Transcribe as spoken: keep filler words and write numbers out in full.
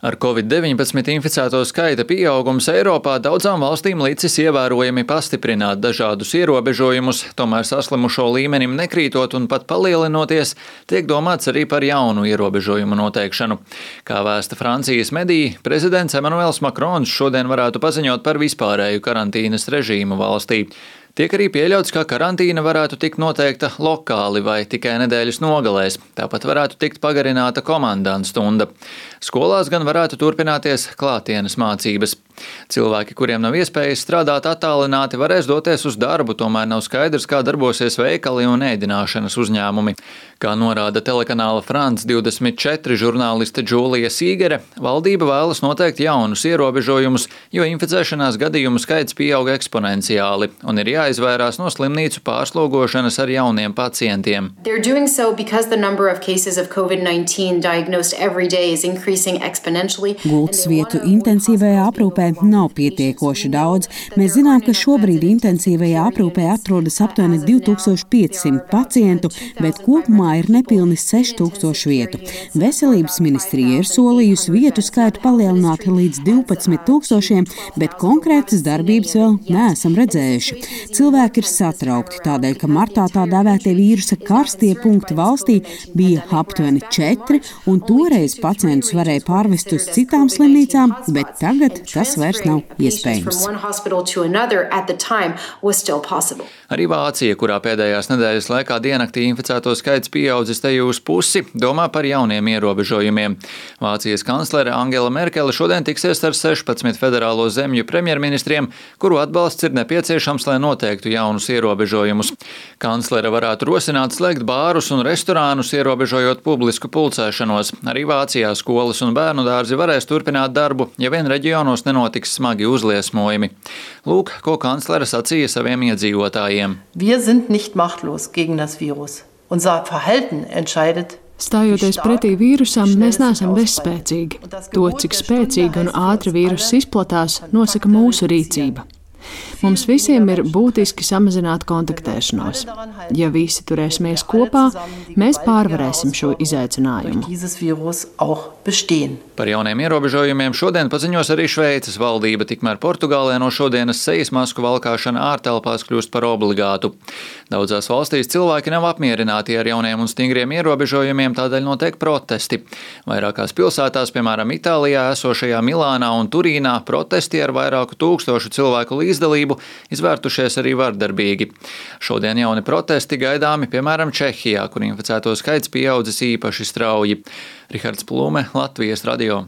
Ar covid deviņpadsmit inficēto skaita pieaugums Eiropā daudzām valstīm licis ievērojami pastiprināt dažādus ierobežojumus, tomēr saslimušo līmenim nekrītot un pat palielinoties, tiek domāts arī par jaunu ierobežojumu noteikšanu. Kā vēsta Francijas mediji, prezidents Emmanuels Macrons šodien varētu paziņot par vispārēju karantīnas režīmu valstī. Tiek arī pieļauts, ka karantīna varētu tikt noteikta lokāli vai tikai nedēļas nogalēs. Tāpat varētu tikt pagarināta komandanta stunda. Skolās gan varētu turpināties klātienes mācības. Cilvēki, kuriem nav iespējas strādāt attālināti, varēs doties uz darbu, tomēr nav skaidrs, kā darbosies veikali un ēdināšanas uzņēmumi. Kā norāda telekanāla France divdesmit četri žurnāliste Džūlija Sīgere, valdība vēlas noteikt jaunus ierobežojumus, jo inficēšanās gadījumu skaits pieauga eksponenciāli un ir jāizvairās no slimnīcu pārslogošanas ar jauniem pacientiem. Gultas vietu intensīvajā aprūpē nav pietiekoši daudz. Mēs zinām, ka šobrīd intensīvajā aprūpē atrodas aptuveni divi tūkstoši pieci simti pacientu, bet kopumā ir nepilni seši tūkstoši vietu. Veselības ministrija ir solījusi vietu skaitu palielināt līdz divpadsmit tūkstošiem, bet konkrētas darbības vēl neesam redzējuši. Cilvēki ir satraukti tādēļ, ka martā tā dēvētie vīrusa karstie punkti valstī bija aptuveni četri, un toreiz pacientus varēja pārvest uz citām slimnīcām, bet tagad tas vairs nav iespējams. Arī Vācija, kurā pēdējās nedēļas laikā diennaktī inficēto skaits pieaudzis teju uz pusi, domā par jauniem ierobežojumiem. Vācijas kanclere Angela Merkele šodien tiksies ar sešpadsmit federālo zemju premjerministriem, kuru atbalsts ir nepieciešams, lai noteiktu jaunus ierobežojumus. Kanclere varētu rosināt slēgt bārus un restorānus, ierobežojot publisku pulcēšanos. Arī Vācijā skolas un bērnu dārzi varēs turpināt darbu, ja vien reģionos nenotiks smagi uzliesmojumi. Lūk, ko kanclere sacīja saviem iedzīvotājiem. Wir sind nicht machtlos gegen das Virus. Unser Verhalten entscheidet. Stājoties pretī vīrusam, mēs neesam bezspēcīgi. To, cik spēcīgi un ātri vīruss izplatās, nosaka mūsu rīcība. Mums visiem ir būtiski samazināt kontaktēšanos. Ja visi turēsimies kopā, mēs pārvarēsim šo izaicinājumu. Par jauniem ierobežojumiem šodien paziņos arī Šveices valdība, tikmēr Portugālē no šodienas sejas masku valkāšana ārtelpās kļūst par obligātu. Daudzās valstīs cilvēki nav apmierināti ar jauniem un stingriem ierobežojumiem, tādēļ notiek protesti. Vairākās pilsētās, piemēram, Itālijā esošajā Milānā un Turīnā, protesti ar vairāku tūkstošu cilvēku līdzdalību izvērtušies arī vardarbīgi. Šodien jauni protesti gaidāmi, piemēram, Čehijā, kur inficēto skaits pieaudzis īpaši strauji. Rihards Plūme, Latvijas radio.